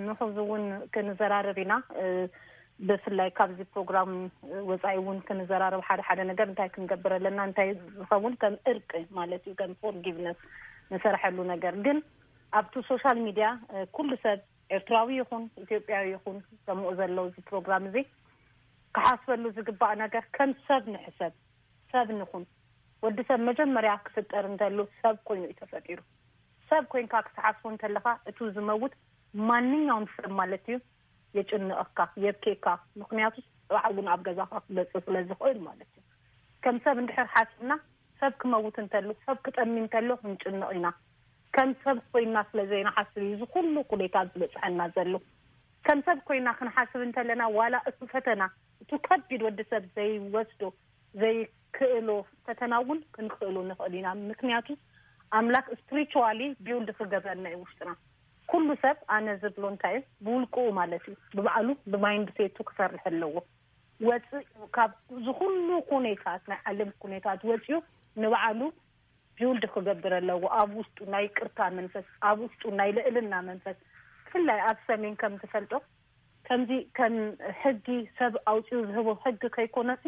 ንሕዚ እውን ክንዘራረብ ኢና። ብፍላይ ካብዚ ፕሮግራም ወፃኢ እውን ክንዘራረብ ሓደ ሓደ ነገር እንታይ ክንገብር ኣለና፣ እንታይ ዝኸውን ከም እርቂ ማለት እዩ፣ ከም ፎርጊቭነስ ንሰርሐሉ ነገር ግን ኣብቲ ሶሻል ሚድያ ኩሉ ሰብ ኤርትራዊ ይኹን ኢትዮጵያዊ ይኹን ሰምኡ ዘሎ እዚ ፕሮግራም እዚ ክሓስበሉ ዝግባእ ነገር ከም ሰብ ንሕሰብ፣ ሰብ ንኹን። ወዲ ሰብ መጀመርያ ክፍጠር እንተሉ ሰብ ኮይኑ እዩ ተፈጢሩ። ሰብ ኮይንካ ክትሓስቦ እንተለኻ እቱ ዝመውት ማንኛውም ሰብ ማለት እዩ የጭንቐካ፣ የብኬካ። ምክንያቱ ፅባሕ እውን ኣብ ገዛኻ ክመፅእ ስለ ዝኽእል ማለት እዩ። ከም ሰብ እንድሕር ሓሲብና ሰብ ክመውት እንተሉ፣ ሰብ ክጠሚ እንተሎ ክንጭንቕ ኢና። ከም ሰብ ኮይና ስለ ዘይንሓስብ እዩ እዚ ኩሉ ኩሌታት ዝበፅሐና ዘሎ። ከም ሰብ ኮይና ክንሓስብ እንተለና ዋላ እቱ ፈተና፣ እቱ ከቢድ ወዲ ሰብ ዘይወስዶ ዘይክእሎ ፈተና እውን ክንክእሎ ንኽእል ኢና። ምክንያቱ ኣምላክ ስፕሪቹዋሊ ቢውልድ ክገብረና እዩ ውሽጥና። ኩሉ ሰብ ኣነ ዝብሎ እንታይ እዩ ብውልቅኡ ማለት እዩ ብባዕሉ ብማይንድ ሴቱ ክሰርሕ ኣለዎ። ወፅእ ካብ ዝኩሉ ኩኔታት ናይ ዓለም ኩኔታት ወፅኡ ንባዕሉ ቢውልድ ክገብር ኣለዎ። ኣብ ውሽጡ ናይ ቅርታ መንፈስ፣ ኣብ ውሽጡ ናይ ልእልና መንፈስ፣ ብፍላይ ኣብ ሰሜን ከም ትፈልጦ ከምዚ ከም ሕጊ ሰብ ኣውፅኡ ዝህቦ ሕጊ ከይኮነሲ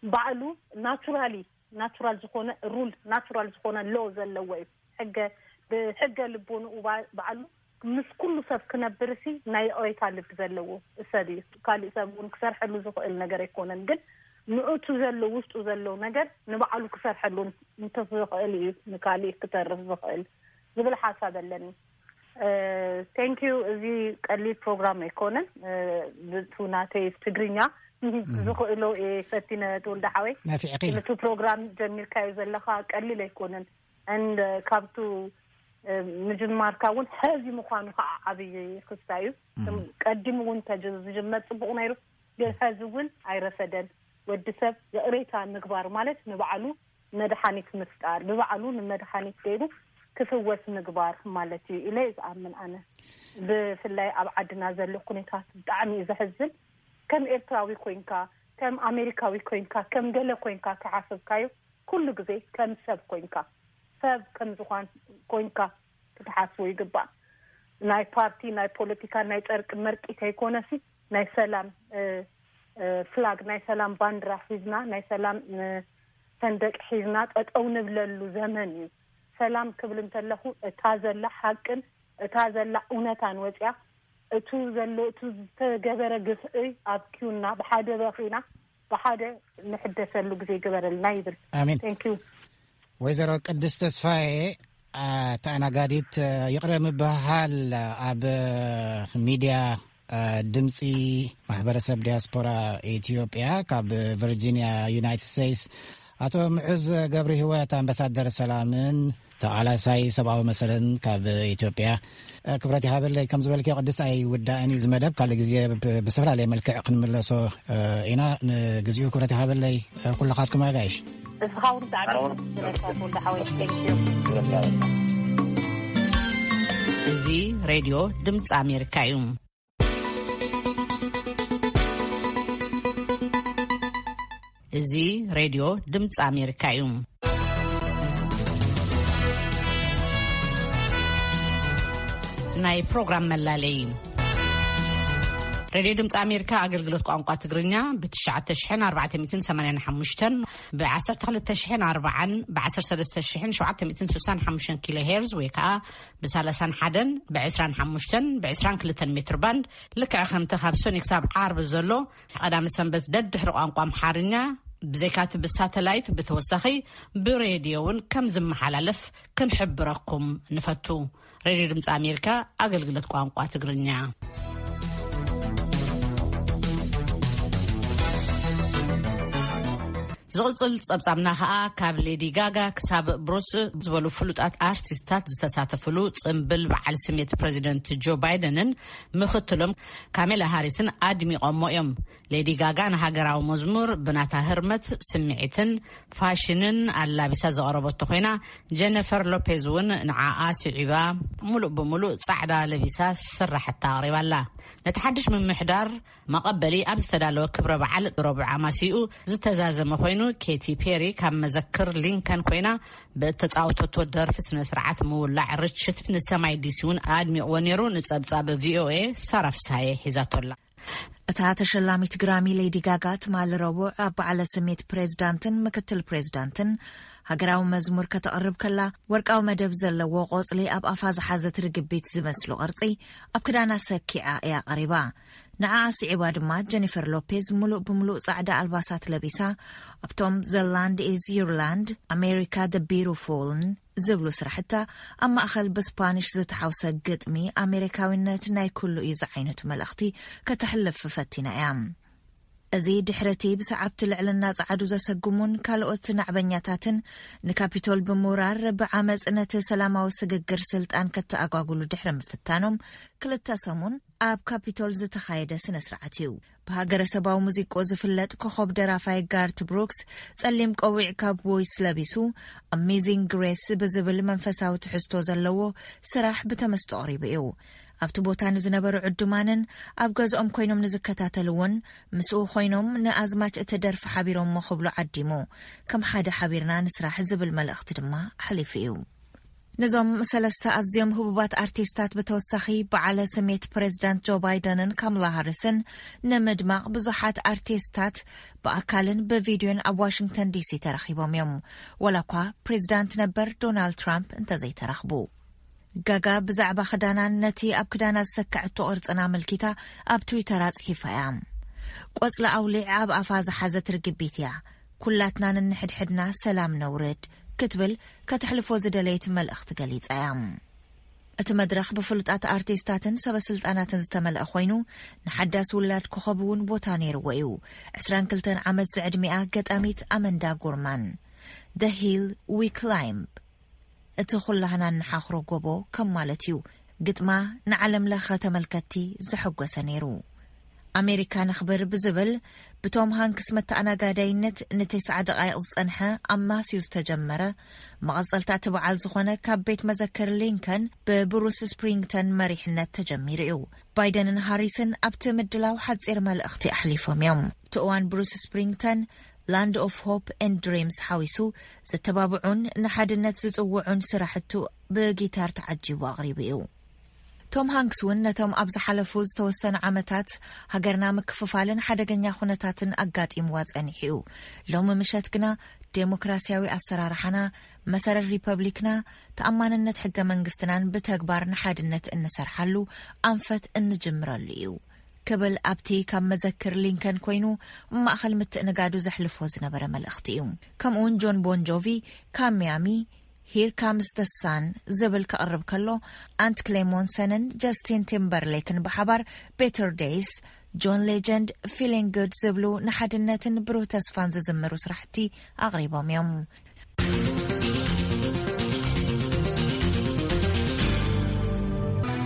ባዕሉ ናቹራሊ ናቹራል ዝኾነ ሩል ናቹራል ዝኾነ ሎ ዘለዎ እዩ። ሕገ ብሕገ ልቦንኡ ባዕሉ ምስ ኩሉ ሰብ ክነብር ሲ ናይ ይቕሬታ ልቢ ዘለዎ ሰብ እዩ። ካሊእ ሰብ እውን ክሰርሐሉ ዝኽእል ነገር ኣይኮነን፣ ግን ንእቱ ዘሎ ውሽጡ ዘሎ ነገር ንባዕሉ ክሰርሐሉ እንተዝኽእል እዩ ንካሊእ ክተርፍ ዝኽእል ዝብል ሓሳብ ኣለኒ። ቴንክ ዩ። እዚ ቀሊል ፕሮግራም ኣይኮነን። ብቱ ናተይ ትግርኛ ዝኽእሎ እየ ፈቲነ። ተወልደ ሓወይ ነፊዕኺ። ነቱ ፕሮግራም ጀሚርካዮ ዘለኻ ቀሊል ኣይኮነን። And ካብቱ ምጅማርካ እውን ሕዚ ምዃኑ ከዓ ዓብዪ ክስታ እዩ። ቀዲሙ እውን ተዝጅመር ፅቡቕ ነይሩ፣ ግን ሕዚ እውን ኣይረፈደን። ወዲ ሰብ ይቕሬታ ምግባር ማለት ንባዕሉ መድሓኒት ምፍጣር፣ ብባዕሉ ንመድሓኒት ገይሩ ክፍወስ ምግባር ማለት እዩ ኢለ ዝኣምን ኣነ። ብፍላይ ኣብ ዓድና ዘሎ ኩነታት ብጣዕሚ እዩ ዘሕዝን። ከም ኤርትራዊ ኮይንካ፣ ከም ኣሜሪካዊ ኮይንካ፣ ከም ገለ ኮይንካ ተሓስብካዮ ኩሉ ግዜ ከም ሰብ ኮይንካ፣ ሰብ ከም ዝኾን ኮይንካ ክትሓስቦ ይግባእ። ናይ ፓርቲ፣ ናይ ፖለቲካ፣ ናይ ጨርቂ መርቂ ከይኮነሲ ናይ ሰላም ፍላግ፣ ናይ ሰላም ባንድራ ሒዝና፣ ናይ ሰላም ሰንደቅ ሒዝና ጠጠው ንብለሉ ዘመን እዩ። ሰላም ክብል እንተለኹ እታ ዘላ ሓቅን እታ ዘላ እውነታን ወፅያ፣ እቱ ዘሎ እቱ ዝተገበረ ግፍዒ ኣብኪዩና ብሓደ በኺና ብሓደ ንሕደሰሉ ግዜ ይግበረልና ይብል። ኣሜን። Thank you። ወይዘሮ ቅድስት ተስፋዬ ተኣናጋዲት፣ ይቕረ ምብሃል ኣብ ሚድያ ድምፂ ማሕበረሰብ ዲያስፖራ ኢትዮጵያ ካብ ቨርጂኒያ ዩናይትድ ስቴትስ፣ ኣቶ ምዑዝ ገብረ ህይወት ኣምባሳደር ሰላምን ተቓላሳይ ሰብኣዊ መሰልን ካብ ኢትዮጵያ። ክብረት ይሃበለይ። ከም ዝበልክዮ ቅድስት ኣይውዳእን እዩ እዚ መደብ። ካልእ ግዜ ብ-፣ ብዝተፈላለየ መልክዕ ክንምለሶ ኢና። ንግዚኡ ክብረት ይሃበለይ ኩልኻትኩም ኣጋይሽ። እስኻ እውን ብጣዕሚ ኣሁን ክብረት ይሃበለይ ሓወይ። Thank you። እዚ ሬድዮ ድምፂ ኣሜሪካ እዩ። እዚ ሬድዮ ድምፂ ኣሜሪካ እዩ። ናይ ፕሮግራም መላለይ። ሬድዮ ድምፂ ኣሜሪካ ኣገልግሎት ቋንቋ ትግርኛ ብ ትሽዓተ ሽሕን ኣርባዕተ ሚእትን ሰማንያን ሓሙሽተን፣ ብ ዓሰርተ ክልተ ሽሕን ኣርባዓን፣ ብ ዓሰርተ ሰለስተ ሽሕን ሸውዓተ ሚእትን ስሳን ሓሙሽተን ኪሎ ሄርዝ ወይ ከዓ ብ ሰላሳን ሓደን፣ ብ ዕስራን ሓሙሽተን፣ ብ ዕስራን ክልተን ሜትር ባንድ፣ ልክዕ ከምቲ ካብ ሶኒ ክሳብ ዓርቢ ዘሎ ቀዳሚ ሰንበት ደድሕሪ ቋንቋ ኣምሓርኛ ብዘይካቲ ብሳተላይት ብተወሳኺ ብሬድዮ እውን ከም ዝመሓላለፍ ክንሕብረኩም ንፈቱ። ሬድዮ ድምፂ ኣሜሪካ ኣገልግሎት ቋንቋ ትግርኛ። ዝቕጽል ጸብጻብና ኸኣ ካብ ሌዲ ጋጋ ክሳብ ብሩስ ዝበሉ ፍሉጣት ኣርቲስታት ዝተሳተፍሉ ጽምብል በዓል ስሜት ፕረዚደንት ጆ ባይደንን ምኽትሎም ካሜላ ሃሪስን ኣድሚቖሞ እዮም። ሌዲ ጋጋ ንሃገራዊ መዝሙር ብናታ ህርመት፣ ስምዒትን ፋሽንን ኣላቢሳ ዘቕረበቶ ኮይና፣ ጀነፈር ሎፔዝ እውን ንዓኣ ስዒባ ምሉእ ብምሉእ ጻዕዳ ለቢሳ ስራሕታ ኣቕሪባላ። ነቲ ሓድሽ ምምሕዳር መቐበሊ ኣብ ዝተዳለወ ክብረ በዓል ረቡዕ ኣማሲኡ ዝተዛዘመ ኮይኑ፣ ኬቲ ፔሪ ካብ መዘክር ሊንከን ኮይና ብእተጻወተቶ ደርፊ ስነ ስርዓት ምውላዕ ርችት ንሰማይ ዲሲ እውን ኣድሚቕዎ ነይሩ። ንጸብጻብ ቪኦኤ ሳራ ፍስሃየ ሒዛቶላ። እታ ተሸላሚት ግራሚ ሌዲ ጋጋ ትማሊ ረቡዕ ኣብ በዓለ ስሜት ፕሬዝዳንትን ምክትል ፕሬዝዳንትን ሃገራዊ መዝሙር ከተቕርብ ከላ፣ ወርቃዊ መደብ ዘለዎ ቆጽሊ ኣብ ኣፋ ዝሓዘት ርግቢት ዝመስሉ ቅርጺ ኣብ ክዳና ሰኪዓ እያ ቀሪባ። ንዓኣ ስዒባ ድማ ጀኒፈር ሎፔዝ ምሉእ ብምሉእ ጻዕዳ ኣልባሳት ለቢሳ ኣብቶም The Land Is Your Land፣ ኣሜሪካ The Beautifulን ዝብሉ ስራሕታ ኣብ ማእኸል ብስፓኒሽ ዝተሓውሰ ግጥሚ ኣሜሪካዊነት ናይ ኩሉ እዩ ዝዓይነቱ መልእኽቲ ከተሕልፍ ፈቲና እያ። እዚ ድሕረቲ ብሰዓብቲ ልዕልና ጸዓዱ ዘሰጉሙን ካልኦት ናዕበኛታትን ንካፒቶል ብምውራር ብዓመጽ ነቲ ሰላማዊ ስግግር ስልጣን ከተኣጓጉሉ ድሕሪ ምፍታኖም ክልተ ሰሙን ኣብ ካፒቶል ዝተኻየደ ስነ ስርዓት እዩ። ብሃገረሰባዊ ሙዚቆ ዝፍለጥ ኮኸብ ደራፋይ ጋርት ብሩክስ ጸሊም ቆዊዕ ካብ ቮይስ ለቢሱ ኣሜዚንግ ግሬስ ብዝብል መንፈሳዊ ትሕዝቶ ዘለዎ ስራሕ ብተመስጦ ኣቕሪቡ እዩ። ኣብቲ ቦታ ንዝነበሩ ዕዱማንን ኣብ ገዝኦም ኮይኖም ንዝከታተልዎን ምስኡ ኮይኖም ንኣዝማች እቲ ደርፊ ሓቢሮሞ ክብሉ ዓዲሙ። ከም ሓደ ሓቢርና ንስራሕ ዝብል መልእኽቲ ድማ ኣሕሊፉ እዩ። ነዞም ሰለስተ ኣዝዮም ህቡባት ኣርቲስታት ብተወሳኺ በዓለ ስሜት ፕሬዝዳንት ጆ ባይደንን ካምላ ሃሪስን ንምድማቕ ብዙሓት ኣርቲስታት ብኣካልን ብቪድዮን ኣብ ዋሽንግተን ዲሲ ተረኺቦም እዮም። ወላ እኳ ፕሬዝዳንት ነበር ዶናልድ ትራምፕ እንተዘይተረኽቡ። ጋጋ ብዛዕባ ክዳናን ነቲ ኣብ ክዳና ዝሰከዐቶ ቅርጽን ኣመልኪታ ኣብ ትዊተር ኣጽሒፋ እያ። ቆጽሊ ኣውሊዕ ኣብ ኣፋ ዝሓዘት ርግቢት እያ። ኩላትና ንንሕድሕድና ሰላም ነውርድ ክትብል ከተሕልፎ ዝደለየት መልእኽቲ ገሊጻ እያ። እቲ መድረኽ ብፍሉጣት ኣርቲስታትን ሰበስልጣናትን ዝተመልአ ኮይኑ፣ ንሓዳስ ውላድ ኮኸብ እውን ቦታ ነይርዎ እዩ። ዕስራን ክልተን ዓመት ዝዕድሚኣ ገጣሚት ኣመንዳ ጉርማን፣ The Hill We Climb፣ እቲ ኩላህና እንሓኽሮ ጎቦ ከም ማለት እዩ። ግጥማ ንዓለም ለኸ ተመልከትቲ ዘሐጎሰ ነይሩ። ኣሜሪካ ነኽብር ብዝብል ብቶም ሃንክስ መተኣናጋዳይነት ንተስዓ ደቓይቕ ዝጸንሐ ኣማስዩ ዝተጀመረ፣ መቐጸልታ እቲ በዓል ዝኾነ ካብ ቤት መዘክር ሊንከን ብብሩስ ስፕሪንግተን መሪሕነት ተጀሚሩ እዩ። ባይደንን ሃሪስን ኣብቲ ምድላው ሓጺር መልእኽቲ ኣሕሊፎም እዮም። እቲ እዋን ብሩስ ስፕሪንግተን ላንድ ኦፍ ሆፕ ኤንድ ድሪምስ ሓዊሱ ዘተባብዑን ንሓድነት ዝጽውዑን ስራሕቱ ብጊታር ተዓጂቡ ኣቕሪቡ እዩ። ቶም ሃንክስ እውን ነቶም ኣብ ዝሓለፉ ዝተወሰኑ ዓመታት ሃገርና ምክፍፋልን ሓደገኛ ኩነታትን ኣጋጢምዋ ጸኒሑ እዩ። ሎሚ ምሸት ግና ዴሞክራሲያዊ ኣሰራርሓና፣ መሰረት ሪፐብሊክና፣ ተኣማንነት ሕገ መንግስትናን ብተግባር ንሓድነት እንሰርሓሉ ኣንፈት እንጅምረሉ እዩ ክብል ኣብቲ ካብ መዘክር ሊንከን ኮይኑ ማእኸል ምትእንጋዱ ዘሕልፎ ዝነበረ መልእኽቲ እዩ። ከምኡውን ጆን ቦን ጆቪ ካብ ሚያሚ Here Comes the Sun ዝብል ከቕርብ ከሎ፣ ኣንት ክሌሞንሰንን ጀስቲን ቲምበርሌክን ብሓባር Better Days፣ John Legend፣ Feeling Good ዝብሉ ንሓድነትን ብሩህ ተስፋን ዝዝምሩ ስራሕቲ ኣቕሪቦም እዮም።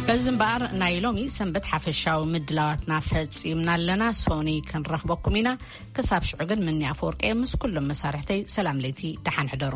በዚ እምበኣር ናይ ሎሚ ሰንበት ሓፈሻዊ ምድላዋትና ፈጺምና ኣለና። ሶኒ ክንረኽበኩም ኢና። ክሳብ ሽዑ ግን፣ ምኒ ኣፈወርቂ ምስ ኩሎም መሳርሕተይ ሰላም ለይቲ፣ ደሓን ሕደሩ።